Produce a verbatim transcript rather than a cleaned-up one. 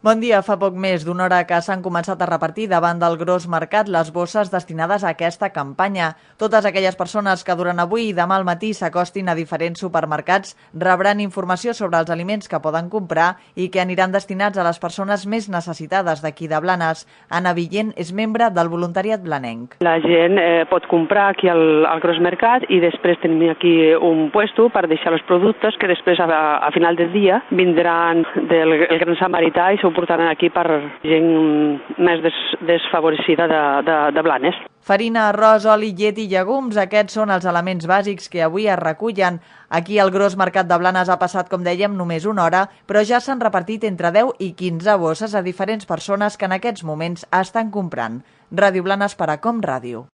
Bon dia. Fa poc més d'una hora que s'han començat a repartir davant del Gros Mercat les bosses destinades a aquesta campanya. Totes aquelles persones que durant avui i demà al matí s'acostin a diferents supermercats rebran informació sobre els aliments que poden comprar i que aniran destinats a les persones més necessitades d'aquí de Blanes. Anna Villent és membre del voluntariat blanenc. La gent eh, pot comprar aquí al, al Gros Mercat i després tenim aquí un puesto per deixar els productes que després a, a final del dia vindran del el Gran Samarità i s'ho portaran aquí per gent més des, desfavorecida de, de, de Blanes. Farina, arròs, oli, llet i llegums, aquests són els elements bàsics que avui es recullen. Aquí al Gros Mercat de Blanes ha passat, com dèiem, només una hora, però ja s'han repartit entre deu i quinze bosses a diferents persones que en aquests moments estan comprant. Ràdio Blanes per a Com Ràdio.